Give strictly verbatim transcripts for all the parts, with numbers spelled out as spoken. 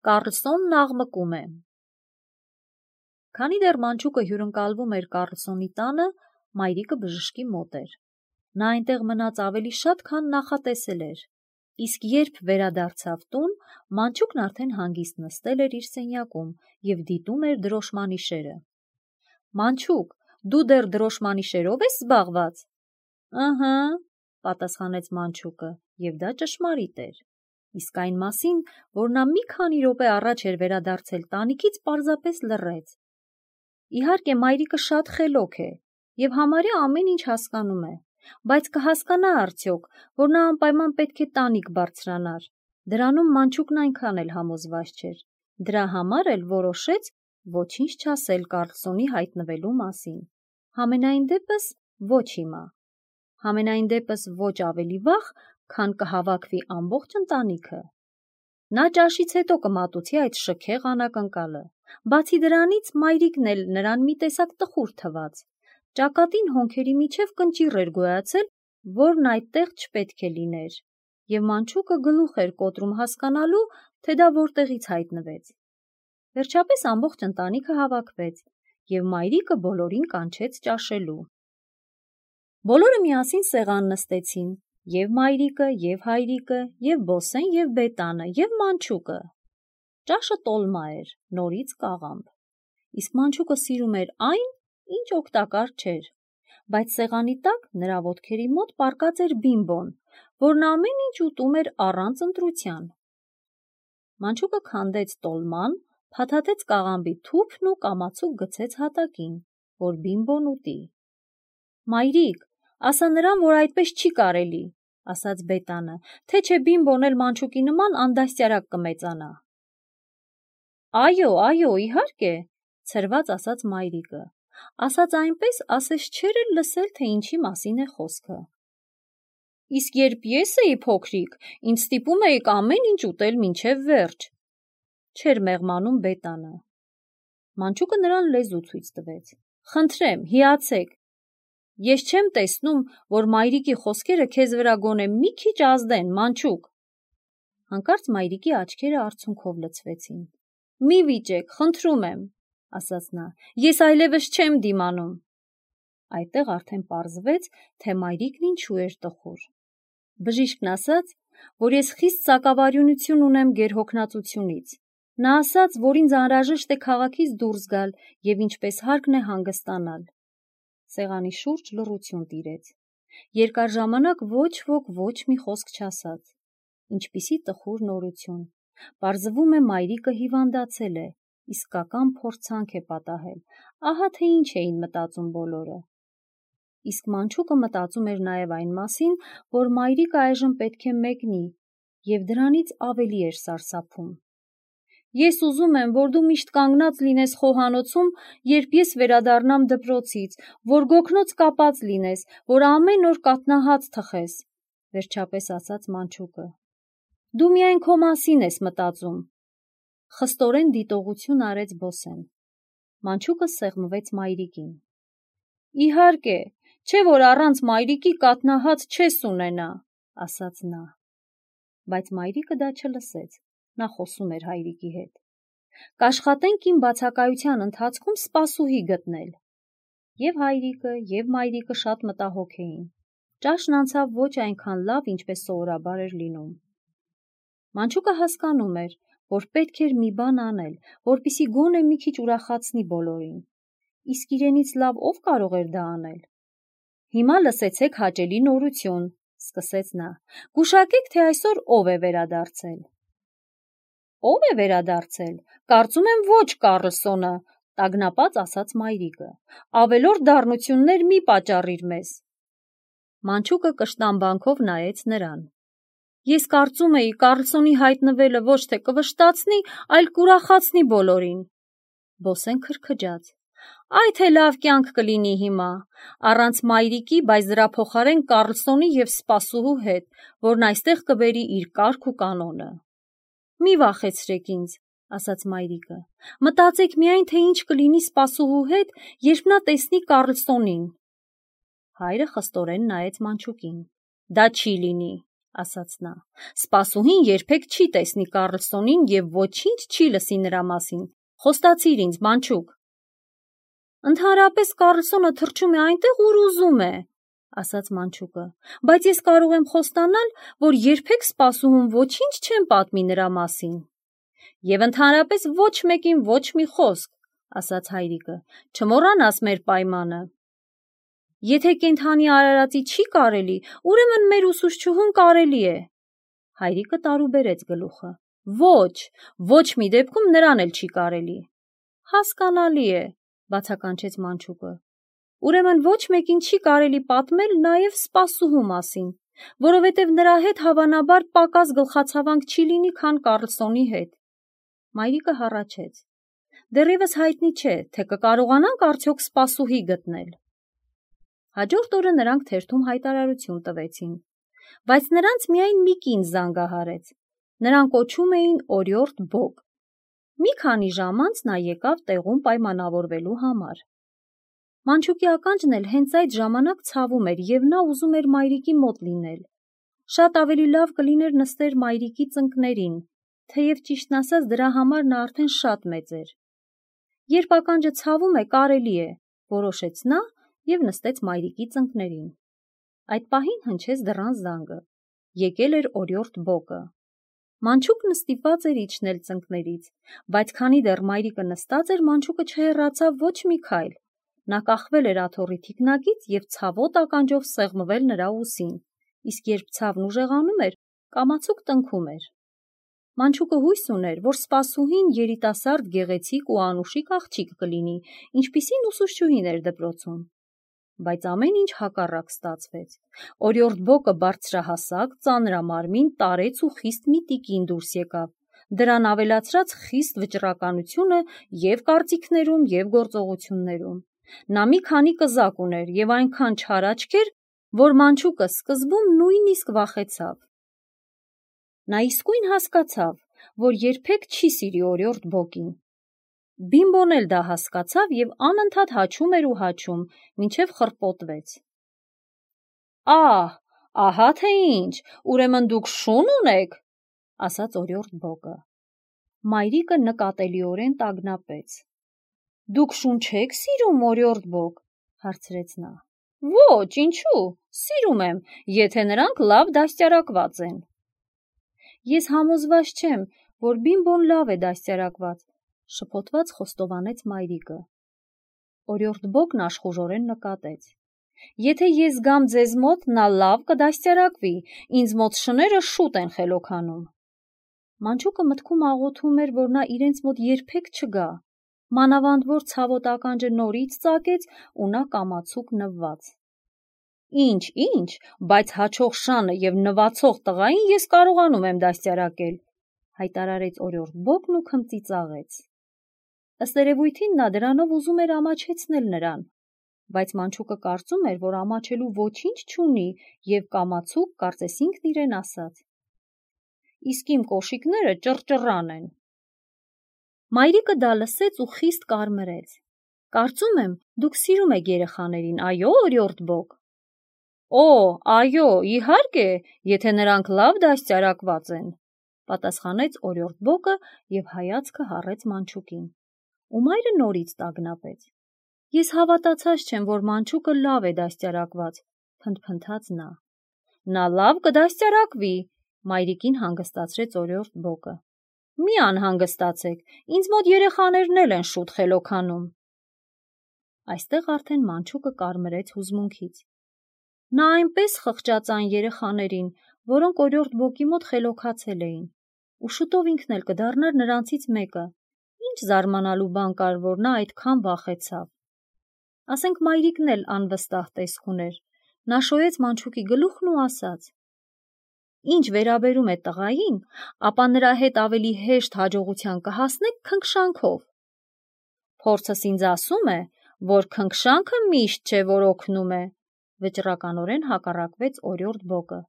Կառլսոնն աղմկում է։ Քանի դեռ մանչուկը հյուրընկալվում էր Կառլսոնի տանը, մայրիկը բժշկի մոտ էր։ Նա այնտեղ մնաց ավելի շատ, քան նախատեսել էր։ Իսկ երբ վերադարձավ տուն, մանչուկն արդեն հանգիստ նստել էր իր սենյակում և դիտում էր դրոշմանիշերը։ «Մանչուկ, դու դեռ դրոշմանիշերով ես զբաղված»։ «Ըհը», պատասխանեց մանչուկը, և դա ճշմարիտ էր։ Իսկ այն մասին, որ նա մի քանի րոպե առաջ էր վերադարձել տանիքից, պարզապես լռեց։ Իհարկե, մայրիկը շատ խելոք է և համարյա ամեն ինչ հասկանում է, բայց կհասկանա արդյոք, որ նա անպայման պետք է տանիք բարձրանար։ Դրանում մանչուկն այնքան էլ համոզված չէր։ Դրա համար էլ որոշեց ոչինչ չասել Կառլսոնի հայտնվելու մասին։ Համենայն դեպս ոչ հիմա։ Համենայն դեպս ոչ ավելի վաղ, քան կհավաքվի ամբողջ ընտանիքը։ Նա ճաշից հետո կմատուցի այդ շքեղ անակնկալը։ Բացի դրանից, մայրիկն էլ նրան մի տեսակ տխուր թվաց։ Ճակատին հոնքերի միջև կնճիռ էր գոյացել, որն այդտեղ չպետք է լիներ, և մանչուկը գլուխ էր կոտրում հասկանալու, թե դա որտեղից հայտնվեց։ Վերջապես ամբողջ ընտանիքը հավաքվեց, և մայրիկը բոլորին կանչեց ճաշելու։ Բոլորը միասին սեղան նստեցին, և մայրիկը, և հայրիկը, և Բոսեն, և Բետանը, և մանչուկը։ Ճաշը տոլմա էր, նորից կաղամբ։ Իսկ մանչուկը սիրում էր այն, ինչ օգտակար չէր, բայց սեղանի տակ նրա ոտքերի մոտ պառկած էր Բիմբոն, որն ամեն ինչ ուտում էր առանց ընտրության։ Մանչուկը քանդեց տոլման, փաթաթեց կաղամբի թուփն ու կամացուկ գցեց հատակին, որ Բիմբոն ուտի։ «Մայրիկ, ասա նրան, որ այդպես չի կարելի», ասաց Բետանը, «թե չէ Բիմբոն էլ մանչուկի նման անդաստիարակ կմեծանա»։ «Այո, այո, իհարկե», ցրված ասաց մայրիկը, ասաց այնպես, ասես չէր էլ լսել, թե ինչի մասին է խոսքը։ «Իսկ երբ ես էի փոքրիկ, ինձ ստիպում էիք ամեն ինչ ուտել մինչև վերջ», չէր մեղմանում Բետանը։ Մանչուկը նրան լեզու ցույց տվեց։ «Խնդրեմ, հիացեք։ Ես չեմ տեսնում, որ մայրիկի խոսքերը քեզ վրա գոնե մի քիչ ազդեն, մանչուկ»։ Հանկարծ մայրիկի աչքերը արցունքով լցվեցին։ «Մի վիճեք, խնդրում եմ», ասաց նա, «ես այլևս չեմ դիմանում»։ Այդտեղ արդեն պարզվեց, թե մայրիկն ինչու էր տխուր։ Բժիշկն ասաց, որ ես խիստ սակավարյունություն ունեմ գերհոգնածությունից։ Նա ասաց, որ ինձ անհրաժեշտ է քաղաքից դուրս գալ և ինչպես հարկն է հանգստանալ։ Սեղանի շուրջ լռություն տիրեց։ Երկար ժամանակ ոչ ոք ոչ մի խոսք չասաց։ Ինչպիսի տխուր նորություն։ Պարզվում է, մայրիկը հիվանդացել է, իսկական փորձանք է պատահել։ Ահա թե ինչ էին մտածում բոլորը։ Իսկ մանչուկը մտածում էր նաև այն մասին, որ մայրիկը այժմ պետք է մեկնի, և դրանից ավելի էր սարսափում։ «Ես ուզում եմ, որ դու միշտ կանգնած լինես խոհանոցում, երբ ես վերադառնամ դպրոցից, որ գոգնոց կապած լինես, որ ամեն օր կաթնահաց թխես», վերջապես ասաց մանչուկը։ «Դու միայն քո մասին ես մտածում», խստորեն դիտողություն արեց Բոսեն։ Մանչուկը սեղմվեց մայրիկին։ «Իհարկե, չէ՞ որ առանց մայրիկի կաթնահաց չես ունենա», ասաց նա։ Բայց մայրիկը դա չլսեց, նա խոսում էր հայրիկի հետ։ «Կաշխատենք իմ բացակայության ընթացքում սպասուհի գտնել»։ Եվ հայրիկը, և մայրիկը շատ մտահոգ էին։ Ճաշն անցավ ոչ այնքան լավ, ինչպես սովորաբար էր լինում։ Մանչուկը հասկանում էր, որ պետք էր մի բան անել, որպեսզի գոնե մի քիչ ուրախացնի բոլորին։ Իսկ իրենից լավ ով կարող էր դա անել։ «Հիմա լսեցեք հաճելի նորություն», սկսեց նա։ «Գուշակեք, թե այսօր ով է վերադարձել»։ «Ո՞վ է վերադարձել, կարծում եմ ոչ Կառլսոնը», տագնապած ասաց մայրիկը։ «Ավելորդ դառնություններ մի պատճառիր մեզ»։ Մանչուկը կշտամբանքով նայեց նրան։ «Ես կարծում էի Կառլսոնի հայտնվելը ոչ թե կվշտացնի, այլ կուրախացնի բոլորին»։ Բոսեն քրքջաց։ «Այ թե լավ կյանք կլինի հիմա, առանց մայրիկի, բայց դրա փոխարեն Կառլսոնի և սպասուհու հետ, որն այստեղ կբերի իր կարգ ու կանոնը»։ «Մի վախեցրեք ինձ», ասաց մայրիկը։ «Մտածեք միայն, թե ինչ կլինի սպասուհու հետ, երբ նա տեսնի Կառլսոնին»։ Հայրը խստորեն նայեց մանչուկին։ «Դա չի լինի», ասաց նա, սպասուհին երբեք չի տեսնի Կառլսոնին և ոչինչ չի լսի նրա մասին, խոստացիր ինձ, մանչուկ։ Ընդհանրապես Կառլսոնը թռչում է այնտեղ, ուր ուզում է, ասաց մանչուկը, բայց ես կարող եմ խոստանալ, որ երբեք սպասուհուն ոչինչ չեմ պատմի նրա մասին։ Եվ ընդհանրապես ոչ մեկին ոչ մի խոսք, ասաց հայրիկը, չմոռանաս մեր պայմանը։ Եթե կենդանի արարածի չի կարելի, ուրեմն մեր ուսուցչուհուն կարելի է։ Հայրիկը տարուբերեց գլուխը։ Ոչ, ոչ մի դեպքում նրան էլ չի կարելի։ Հասկանալի է, բացականչեց մանչուկը։ Ուրեմն ոչ մեկին չի կարելի պատմել նաև սպասուհու մասին, որովհետև նրա հետ հավանաբար պակաս գլխացավանք չի լինի, քան Կառլսոնի հետ։ Մայրիկը հառաչեց։ Դեռևս հայտնի չէ, թե կկարողանանք արդյոք սպասուհի գտնել։ Հաջորդ օրը նրանք թերթում հայտարարություն տվեցին, բայց նրանց միայն մի կին զանգահարեց։ Նրան կոչում էին օրիորդ Բոգ։ Մի քանի ժամ անց նա եկավ տեղում պայմանավորվելու համար։ Մանչուկի ականջն էլ հենց այդ ժամանակ ցավում էր և նա ուզում էր մայրիկի մոտ լինել։ Շատ ավելի լավ կլիներ նստեր մայրիկի ծնկներին, թեև ճիշտն ասած դրա համար նա արդեն շատ մեծ էր։ Երբ ականջը ցավում է, կարելի է, որոշեց նա և նստեց մայրիկի ծնկներին։ Այդ պահին հնչեց դռան զանգը։ Եկել էր օրիորդ Բոգը։ Մանչուկն ստիպված էր իջնել ծնկներից, բայց քանի դեռ մայրիկը նստած էր, մանչուկը չհեռացավ ոչ մի քայլ։ Նա կախվել էր աթոռի թիկնակից և ցավոտ ականջով սեղմվել նրա ուսին, իսկ երբ ցավն ուժեղանում էր, կամացուկ տնքում էր։ Մանչուկը հույս ուներ, որ սպասուհին երիտասարդ, գեղեցիկ ու անուշիկ աղջիկ կլինի, ինչպիսին ուսուցչուհին էր դպրոցում։ Բայց ամեն ինչ հակառակ ստացվեց։ Օրիորդ Բոգը բարձրահասակ, ծանրամարմին, տարեց ու խիստ մի տիկին դուրս եկավ։ Դրան ավելացրած խիստ վճռականությունը և կարծիքներում, և գործողություններում։ Նա մի քանի կզակ ուներ և այնքան չար աչքեր, որ մանչուկը սկզբում նույնիսկ վախեցավ։ Նա իսկույն հասկացավ, որ երբեք չի սիրի օրիորդ Բոգին։ Բիմբոն էլ դա հասկացավ և անընդհատ հաչում էր ու հաչում, մինչև խռպոտվեց։ Ահ, ահա թե ինչ, ուրեմն դուք շուն ունեք, ասաց օրիորդ Բոգը։ Մայրիկը նկատելիորեն տագնապեց։ Դուք շուն չեք սիրում, օրիորդ Բոգ, հարցրեց նա։ Ոչ, ինչու, սիրում եմ, եթե նրանք լավ դաստիարակված են։ Ես համոզված չեմ, որ Բիմբոն լավ է դաստիարակված, շփոթված խոստովանեց մայրիկը։ Օրիորդ Բոգն աշխուժորեն նկատեց. Եթե ես գամ ձեզ մոտ, նա լավ կդաստիարակվի, ինձ մոտ շները շուտ են խելոքանում։ Մանչուկը մտքում աղոթում էր, որ նա իրենց մոտ երբեք չգա, մանավանդ որ ցավոտ ականջը նորից ծակեց ու նա կամացուկ նվված։ Ինչ, ինչ, բայց հաչող շանը և նվացող տղային ես կարողանում եմ դաստիարակել, հայտարարեց օրիորդ Բոգն ու քմծիծաղեց։ Ըստ երևույթին նա դրանով ուզում էր ամաչեցնել նրան, բայց մանչուկը կարծում էր, որ ամաչելու ոչինչ չունի և կամացուկ, կարծես ինքն իրեն ասաց. Իսկ իմ կոշիկները ճռճռան են։ Մայրիկը դա լսեց ու խիստ կարմրեց։ Կարծում եմ, դուք սիրում եք երեխաներին, այո, օրիորդ Բոգ։ Օ, այո, իհարկե, եթե նրանք լավ դաստիարակված են, պատասխանեց օրիորդ Բոգը և հայացքը հառեց մանչուկին։ Ու մայրը նորից տագնապեց։ Ես հավատացած չեմ, որ մանչուկը լավ է դաստիարակված, փնթփնթաց նա։ Նա լավ կդաստիարակվի, մայրիկին հանգստացրեց օրիորդ Բոգը։ Մի անհանգստացեք, ինձ մոտ երեխաներն էլ են շուտ խելոքանում։ Այստեղ արդեն մանչուկը կարմրեց հուզմունքից։ Նա այնպես խղճաց այն երեխաներին, որոնք օրիորդ Բոգի մոտ խելոքացել էին, ու շուտով ինքն էլ կդառնար նրանցից մեկը։ Ինչ զարմանալու բան կար, որ նա այդքան վախեցավ։ Ասենք մայրիկն էլ անվստահ տեսք ուներ։ Նա շոյեց մանչուկի գլուխն ու ասաց. Ինչ վերաբերում է տղային, ապա նրա հետ ավելի հեշտ հաջողության կհասնեք քնքշանքով։ Փորձս ինձ ասում է, որ քնքշանքը միշտ չէ, որ օգնում է, վճռականորեն հակառակվեց օրիորդ Բոգը։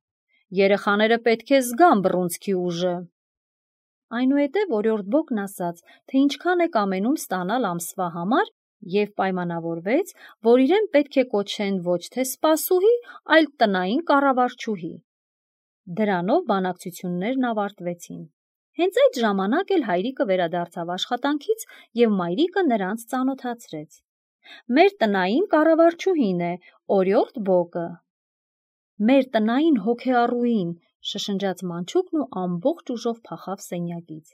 Երեխաները պետք է զգան բռունցքի ուժը։ Այնուհետև օրիորդ Բոգն ասաց, թե ինչքան է կամենում ստանալ ամսվա համար և պայմանավորվեց, որ իրեն պետք է կոչեն ոչ թե սպասուհի, այլ տնային կառավարչուհի։ Դրանով բանակցություններն ավարտվեցին։ Հենց այդ ժամանակ էլ հայրիկը վերադարձավ աշխատանքից և մայրիկը նրանց ծանոթացրեց։ Մեր տնային կառավարչուհին է, Օրիորդ Բոկը։ Մեր տնային հոգեառուին, շշնջաց Մանչուկն ու ամբողջ ուժով փախավ սենյակից։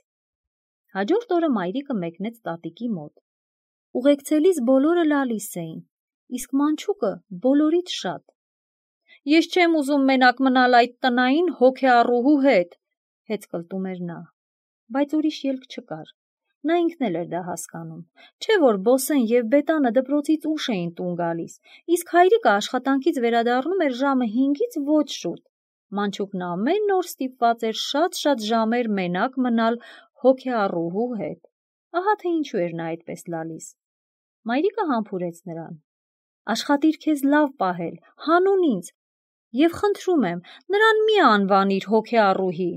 Հաջորդ օրը մայրիկը մեկնեց տատիկի մոտ։ Ուղեկցելիս բոլորը լալիս էին, իսկ Մանչուկը բոլորից շատ։ Ես չեմ ուզում մենակ մնալ այդ տնային հոգեառուհու հետ, հեծ կլտում էր նա, բայց ուրիշ ելք չկար։ Նա ինքն էլ էր դա հասկանում, չէ որ Բոսեն և Բետանը դպրոցից ուշ էին տուն գալիս, իսկ հայրիկը աշխատանքից վերադառնում էր ժամը հինգից ոչ շուտ։ Մանչուկն ամեն օր ստիպված էր շատ-շատ ժամեր մենակ մնալ հոգեառուհու հետ։ Ահա թե ինչու էր նա այդպես լալիս։ Մայրիկը համբուրեց նրան. Աշխատիր քեզ լավ պահել, հանուն ինձ, և խնդրում եմ, նրան մի անվանիր հոգեառուհի։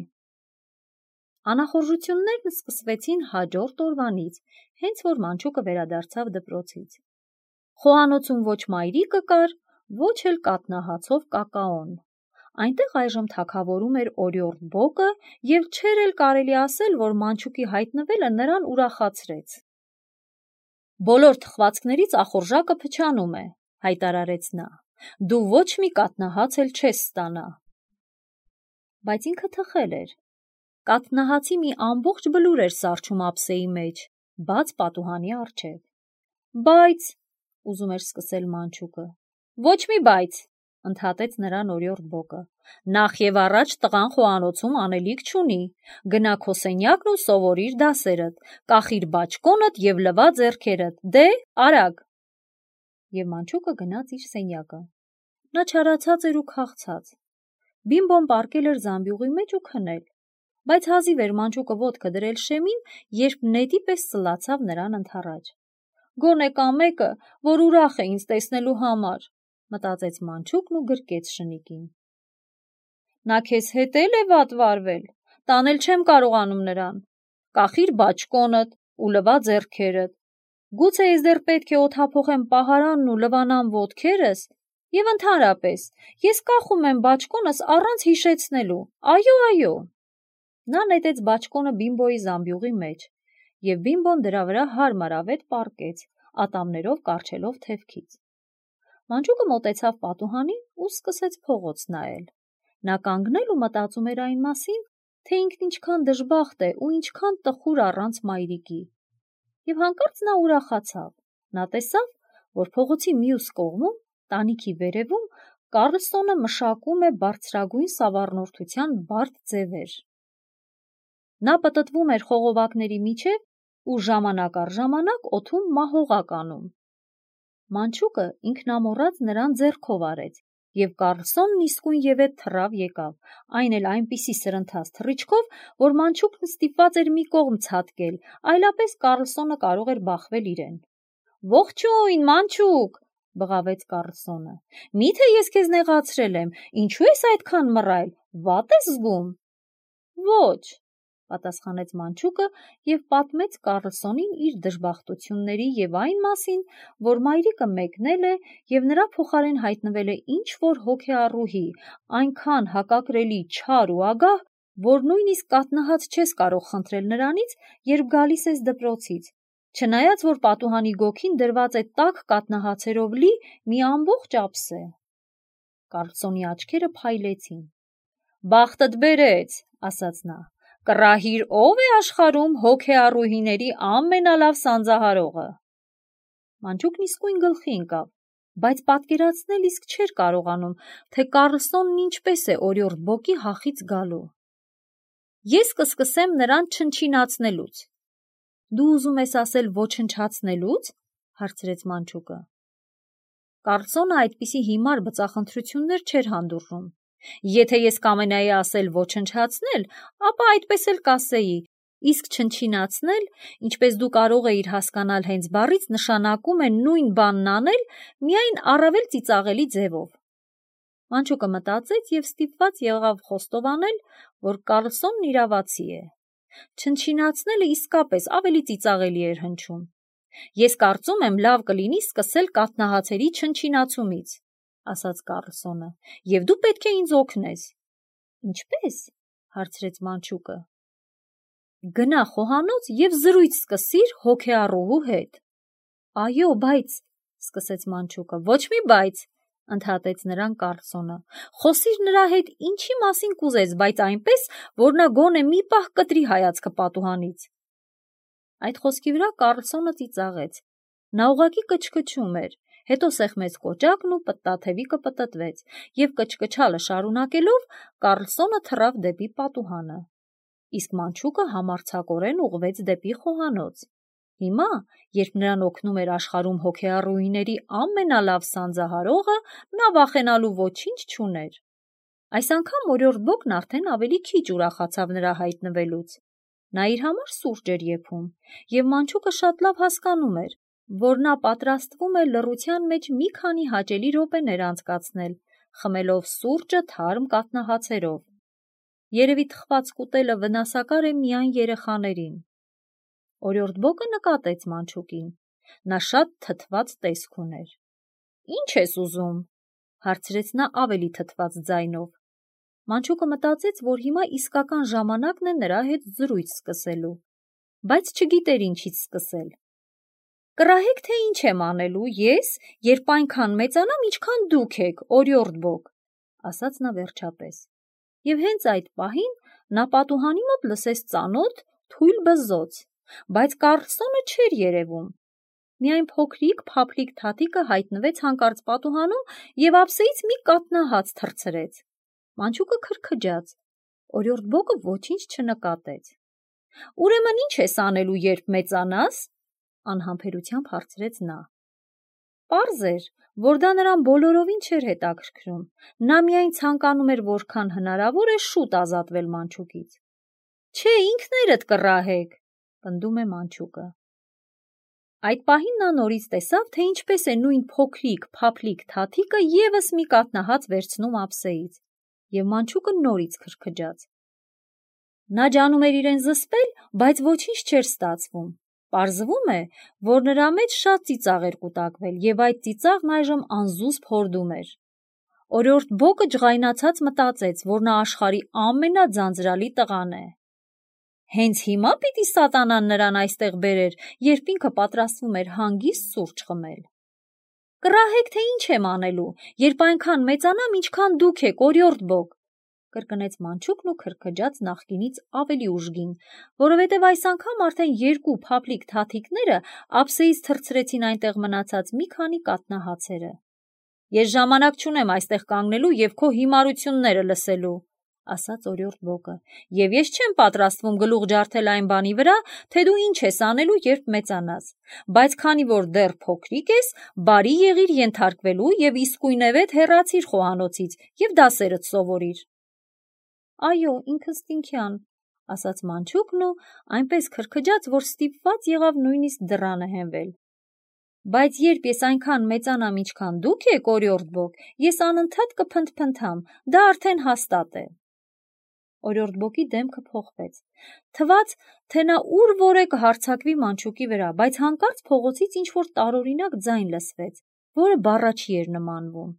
Անախորժություններն սկսվեցին հաջորդ օրվանից, հենց որ Մանչուկը վերադարձավ դպրոցից։ Խոհանոցում ոչ մայրիկը կար, ոչ էլ կաթնահացով կակաոն։ Այնտեղ այժմ թագավորում էր Օրիորդ Բոկը և չէր էլ կարելի ասել, որ Մանչուկի հայտնվելը նրան ուրախացրեց։ Բոլոր թխվածքներից ախորժակը փչանում է, հայտարարեց նա, դու ոչ մի կաթնահաց էլ չես ստանա։ Բայց ինքը թխել էր։ Կաթնահացի մի ամբողջ բլուր էր սառչում ափսեի մեջ, բաց պատուհանի առջև։ Բայց, ուզում էր սկսել Մանչուկը։ Ոչ մի բայց, ընդհատեց նրան Օրիորդ Բոկը։ Նախ եւ առաջ տղան խոհանոցում անելիք չունի, գնա քո սենյակն ու սովորիր դասերդ, կախիր բաճկոնդ եւ լվա ձեռքերդ, դե արագ։ Եվ Մանչուկը գնաց իր սենյակը։ Նա չարացած էր ու քաղցած։ Բիմբոն պառկել էր զամբյուղի մեջ ու քնել, բայց հազիվ էր Մանչուկը ոտքը դրել շեմին, երբ նետի պես սլացավ նրան ընդառաջ։ Գոնե կա մեկը, որ ուրախ է ինձ տեսնելու համար, մտածեց Մանչուկն ու գրկեց շնիկին։ Նա քեզ հետ էլ է վատ վարվել, տանել չեմ կարողանում նրան, կախիր բաճկոնդ ու լվա ձեռքերդ, գուցե ես դեռ պետք է օդափոխեմ պահարանն ու լվանամ ոտքերս, և ընդհանրապես, ես կախում եմ բաճկոնս առանց հիշեցնելու, այո, այո։ Նա նետեց բաճկոնը Բիմբոյի զամբյուղի մեջ, և Բիմբոն դրա վրա հարմարավետ պառկեց, ատամներով կառչելով թևքից։ Մանչուկը մոտեցավ պատուհանին ու սկսեց փողոց նայել։ Նա կանգնել ու մտածում էր այն մասին, թե ինքն ինչքան դժբախտ է ու ինչքան տխուր առանց մայրիկի։ Եվ հանկարծ նա ուրախացավ։ Նա տեսավ, որ փողոցի մյուս կողմում, տանիքի վերևում, Կարլսոնը մշակում է բարձրագույն սավառնորդության բարդ ձևեր։ Նա պտտվում էր խողովակների միջև ու ժամանակ առ ժամանակ օդում մահողակ անում։ Մանչուկը ինքնամոռաց նրան ձեռքով արեց, և Կարլսոնն իսկույն ևեթ թռավ եկավ, այն էլ այնպիսի սրընթաց թռիչքով, որ Մանչուկն ստիպված էր մի կողմ ցատկել, այլապես Կարլսոնը կարող էր բախվել իրեն։ Ողջույն, Մանչուկ, բղավեց Կարլսոնը։ Միթե ես քեզ նեղացրել եմ, ինչու ես այդքան մռայլ, վատ ես զգում։ Ոչ, պատասխանեց Մանչուկը և պատմեց Կարլսոնին իր դժբախտությունների և այն մասին, որ մայրիկը մեկնել է և նրա փոխարեն հայտնվել է ինչ-որ հոգեառուհի, այնքան հակակրելի չար ու ագահ, որ նույնիսկ կաթնահաց չես կարող խնդրել նրանից, երբ գալիս ես դպրոցից, չնայած որ պատուհանի գոգին դրված է տաք կաթնահացերով լի մի ամբողջ ափսե։ Կարլսոնի աչքերը փայլեցին։ Բախտդ բերեց, ասաց նա, կռահիր ով է աշխարհում հոգեառուհիների ամենալավ սանձահարողը։ Մանչուկն իսկույն գլխի ընկավ, բայց պատկերացնել իսկ չէր կարողանում, թե Կարլսոնն ինչպես է Օրիորդ Բոկի հախից գալու։ Ես կսկսեմ նրան չնչինացնելուց։ Դու ուզում ես ասել ոչնչացնելուց, հարցրեց Մանչուկը։ Կարլսոնը այդպիսի հիմար բծախնդրություններ չէր հանդուրժում։ Եթե ես կամենայի ասել ոչնչացնել, ապա այդպես էլ կասեի, իսկ չնչինացնել, ինչպես դու կարող էիր հասկանալ հենց բառից, նշանակում է նույն բանն անել, միայն առավել ծիծաղելի ձևով։ Մանչուկը մտածեց և ստիպված եղավ խոստովանել, որ Կարլսոնն իրավացի է։ Չնչինացնելը իսկապես ավելի ծիծաղելի էր հնչում։ Ես կարծում եմ լավ կլինի սկսել կաթնահացերի չնչինացումից, ասաց Կարլսոնը, և դու պետք է ինձ օգնես։ Ինչպե՞ս, հարցրեց մանչուկը։ Գնա խոհանոց և զրույց սկսիր հոգեառուհու հետ։ Այո, բայց, սկսեց մանչուկը, ոչ մի բայց, ընդհատեց նրան Կարլսոնը, խոսիր նրա հետ ինչի մասին կուզես, բայց այնպես, որ նա գոնե մի պահ կտրի հայացքը պատուհանից։ Այդ խոսքի վրա Կարլսոնը ծիծաղեց։ Նա ուղղակի կչկչում էր, հետո սեղմեց կոճակն ու պտտաթևիկը պտտվեց, և կչկչալը շարունակելով Կարլսոնը թռավ դեպի պատուհանը։ Իսկ մանչուկը համարձակորեն ուղղվեց դեպի խոհանոց։ Հիմա, երբ նրան օգնում էր աշխարհում հոգեառուիների ամենալավ սանձահարողը, նա վախենալու ոչինչ չուներ։ Այս անգամ օրիորդ Բոկն արդեն ավելի քիչ ուրախացավ նրա հայտնվելուց։ Նա իր համար սուրճ էր եփում, և մանչուկը շատ լավ հասկանում էր, որ նա պատրաստվում է լռության մեջ մի քանի հաճելի րոպեներ անցկացնել, խմելով սուրճը թարմ կաթնահացերով։ Երևի թխված կուտելը վնասակար է միայն երեխաներին։ Օրիորդ Բոկը նկատեց մանչուկին։ Նա շատ թթված տեսք ուներ։ Ինչ ես ուզում, հարցրեց նա ավելի թթված ձայնով։ Մանչուկը մտածեց, որ հիմա իսկական ժամանակն է նրա հետ զրույց սկսելու, բայց չգիտեր ինչից սկսել։ Կռահեք, թե ինչ եմ անելու ես, երբ այնքան մեծանամ, ինչքան դուք եք, օրիորդ Բոկ, ասաց նա վերջապես։ Եվ հենց այդ պահին նա պատուհանի մոտ լսեց ծանոթ թույլ բզզոց, բայց Կարլսոնը չէր երևում։ Միայն փոքրիկ փափլիկ թաթիկը հայտնվեց հանկարծ պատուհանում և ափսեից մի կաթնահաց թռցրեց։ Մանչուկը քրքջաց։ Օրիորդ Բոկը ոչինչ չնկատեց։ Ուրեմն ինչ ես անելու, երբ մեծանաս, անհամբերությամբ հարցրեց նա։ Պարզ էր, որ դա նրան բոլորովին չէր հետաքրքրում։ Նա միայն ցանկանում էր որքան հնարավոր է շուտ ազատվել մանչուկից։ Չէ, ինքներդ կռահեք, պնդում է մանչուկը։ Այդ պահին նա նորից տեսավ, թե ինչպես է նույն փոքրիկ փափլիկ թաթիկը ևս մի կաթնահաց վերցնում ափսեից, և մանչուկը նորից քրքջաց։ Նա ջանում էր իրեն զսպել, բայց ոչինչ չէր ստացվում։ Պարզվում է, որ նրա մեջ շատ ծիծաղ էր կուտակվել, և այդ ծիծաղն այժմ անզուսպ հորդում էր։ Օրիորդ Բոկը ջղայնացած մտածեց, որ նա աշխարհի ամենաձանձրալի տղան է։ Հենց հիմա պիտի սատանան նրան այստեղ բերեր, երբ ինքը պատրաստվում էր հանգիստ սուրճ խմել։ Կռահեք, թե ինչ եմ անելու, երբ այնքան մեծանամ, ինչքան դուք եք, օրիորդ Բոկ, կրկնեց մանչուկն ու քրքջաց նախկինից ավելի ուժգին, որովհետև այս անգամ արդեն երկու փափլիկ թաթիկները ափսեից թռցրեցին այնտեղ մնացած մի քանի կաթնահացերը։ Ես ժամանակ չունեմ այստեղ կանգնելու և քո հիմարությունները լսելու, ասաց օրիորդ Բոկը, և ես չեմ պատրաստվում գլուխ ջարդել այն բանի վրա, թե դու ինչ ես անելու, երբ մեծանաս, բայց քանի որ դեռ փոքրիկ ես, բարի եղիր ենթարկվելու և իսկույնևեթ հեռացիր խոհանոցից և դասերդ սովորիր։ Այո, ինքնըստինքյան, ասաց մանչուկն ու այնպես քրքջաց, որ ստիպված եղավ նույնիսկ դռանը հենվել։ Բայց երբ ես այնքան մեծանամ, ինչքան դուք եք, օրիորդ Բոկ, ես անընդհատ կփնթփնթամ, դա արդեն հաստատ է։ Օրիորդ Բոկի դեմքը փոխվեց։ Թվաց, թե նա ուր որ է կհարձակվի մանչուկի վրա, բայց հանկարծ փողոցից ինչ-որ տարօրինակ ձայն լսվեց, որը բառաչի էր նմանվում։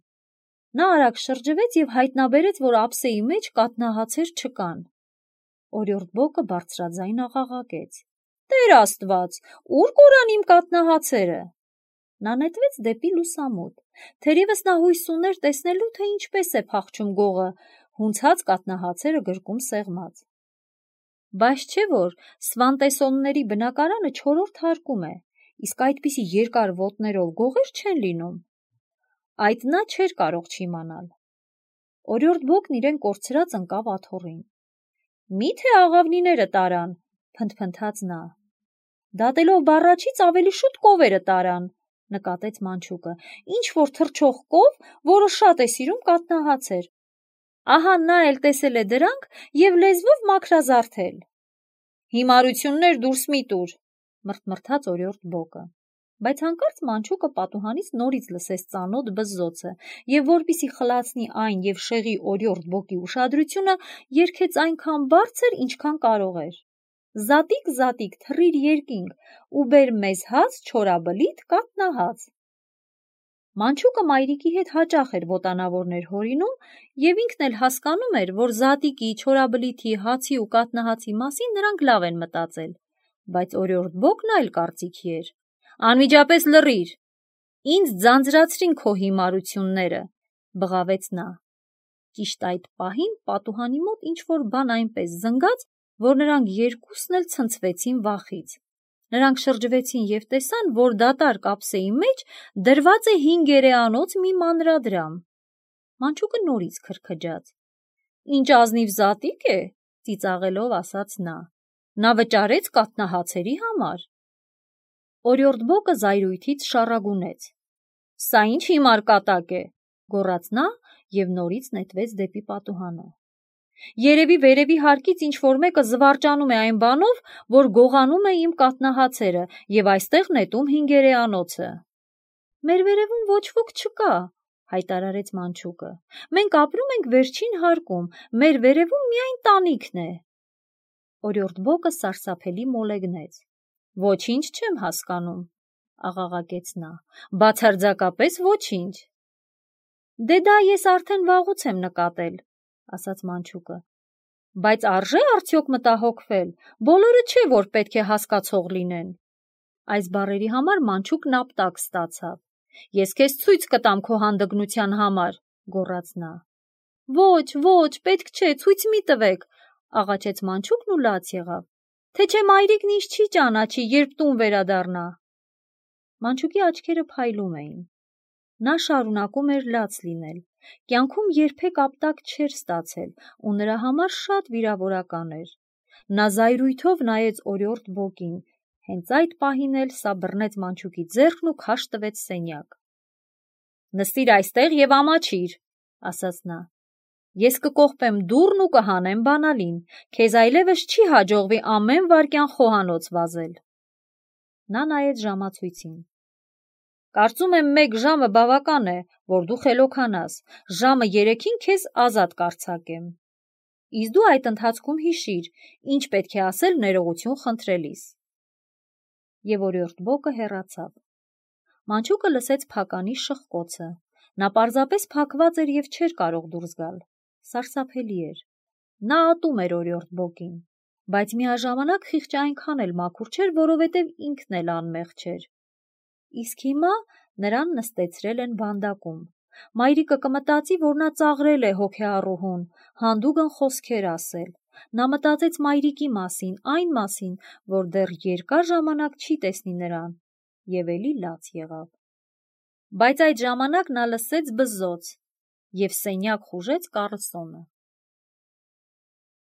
Նա արագ շրջվեց և հայտնաբերեց, որ ափսեի մեջ կաթնահացեր չկան։ Օրիորդ Բոկը բարձրաձայն աղաղակեց. Տեր Աստված, ուր կորան իմ կաթնահացերը։ Նա նետվեց դեպի լուսամուտ։ Թերևս նա հույս ուներ տեսնելու, թե ինչպես է փախչում գողը, հունցած կաթնահացերը գրկում սեղմած։ Բայց չէ՞ որ Սվանտեսոնների բնակարանը չորրորդ հարկում է, իսկ այդպիսի երկար ոտներով գողեր չեն լինում։ Այդ նա չէր կարող չիմանալ։ Օրիորդ Բոկն իրեն կորցրած ընկավ աթոռին։ Մի՞թե աղավնիները տարան, փնթփնթաց նա։ Դատելով բառաչից ավելի շուտ կովերը տարան, նկատեց մանչուկը, ինչ որ թռչող կով, որը շատ է սիրում կաթնահացեր։ Ահա նա էլ տեսել է դրանք և լեզվով մաքրազարդել։ Հիմարություններ դուրս մի տուր, մռթմռթաց օրիորդ Բոկը։ Բայց հանկարծ մանչուկը պատուհանից նորից լսեց ծանոթ բզզոցը, և որպեսզի խլացնի այն և շեղի օրիորդ Բոկի ուշադրությունը, երգեց այնքան բարձր, ինչքան կարող էր. Զատիկ, զատիկ, թռիր երկինք ու բեր մեզ հաց չորաբլիթ կաթնահաց։ Մանչուկը մայրիկի հետ հաճախ էր ոտանավորներ հորինում և ինքն էլ հասկանում էր, որ զատիկի, չորաբլիթի, հացի ու կաթնահացի մասին նրանք լավ են մտածել, բայց օրիորդ Բոկն այլ կարծիքի էր։ «Անմիջապես լռիր, ինձ ձանձրացրին քո հիմարությունները», բղավեց նա։ Ճիշտ այդ պահին պատուհանի մոտ ինչ-որ բան այնպես զնգաց, որ նրանք երկուսն էլ ցնցվեցին վախից։ Նրանք շրջվեցին և տեսան, որ դատարկ ափսեի մեջ դրված է հինգերեանոց մի մանրադրամ։ Մանչուկը նորից քրքջաց։ «Ինչ ազնիվ զատիկ է», ծիծաղելով ասաց նա։ «Նա վճարեց կաթնահացերի համար»։ Օրիորդ Բոկը զայրույթից շառագունեց։ «Սա ինչ հիմար կատակ է», գոռաց նա և նորից նետվեց դեպի պատուհանը։ «Երևի վերևի հարկից ինչ-որ մեկը զվարճանում է այն բանով, որ գողանում է իմ կաթնահացերը և այստեղ նետում հինգերեանոցը»։ «Մեր վերևում ոչ ոք չկա», հայտարարեց Մանչուկը։ «Մենք ապրում ենք վերջին հարկում, մեր վերևում միայն տանիքն է»։ Օրիորդ Բոկը սարսափելի մոլեգնեց։ «Ոչինչ չեմ հասկանում», աղաղակեց նա, «բացարձակապես ոչինչ»։ «Դե դա ես արդեն վաղուց եմ նկատել», ասաց Մանչուկը։ «Բայց արժե՞ արդյոք մտահոգվել, բոլորը չէ, որ պետք է հասկացող լինեն»։ Այս բառերի համար Մանչուկն ապտակ ստացավ։ «Ես քեզ ցույց կտամ քո հանդգնության համար», գոռաց նա։ «Ոչ, ոչ, պետք չէ, ցույց մի տվեք», աղաչեց Մանչուկն ու լաց եղավ։ «Թե չէ մայրիկն ինձ չի ճանաչի, երբ տուն վերադառնա»։ Մանչուկի աչքերը փայլում էին։ Նա շարունակում էր լաց լինել։ Կյանքում երբեք ապտակ չէր ստացել ու նրա համար շատ վիրավորական էր։ Նա զայրույթով նայեց օրիորդ Բոկին, հենց այդ պահին էլ սա բռնեց Մանչուկի ձեռքն ու քաշ տվեց սենյակ։ «Նստիր այստեղ և ամաչիր», ասաց նա։ «Ես կկողպեմ դուռն ու կհանեմ բանալին, քեզ այլևս չի հաջողվի ամեն վայրկյան խոհանոց վազել»։ Նա նայեց ժամացույցին։ «Կարծում եմ մեկ ժամը բավական է, որ դու խելոքանաս, ժամը երեքին քեզ ազատ կարձակեմ։ Իսկ դու այդ ընթացքում հիշիր, ինչ պետք է ասել ներողություն խնդրելիս»։ Եվ օրիորդ Բոկը հեռացավ։ Մանչուկը լսեց փականի շխկոցը։ Նա պարզապես փակված էր և չէր կարող դուրս գալ։ Սարսափելի էր։ Նա ատում էր օրիորդ Բոկին, բայց միաժամանակ խիղճը այնքան էլ մաքուր չէր, որովհետև ինքն էլ անմեղ չէր։ Իսկ հիմա նրան նստեցրել են վանդակում։ Մայրիկը կմտածի, որ նա ծաղրել է հոգեառուհուն, հանդուգն խոսքեր ասել։ Նա մտածեց մայրիկի մասին, այն մասին, որ դեռ երկար ժամանակ չի տեսնի նրան, և էլի լաց եղավ։ Բայց այդ ժամանակ նա լսեց բզզոց և սենյակ խուժեց Կառլսոնը։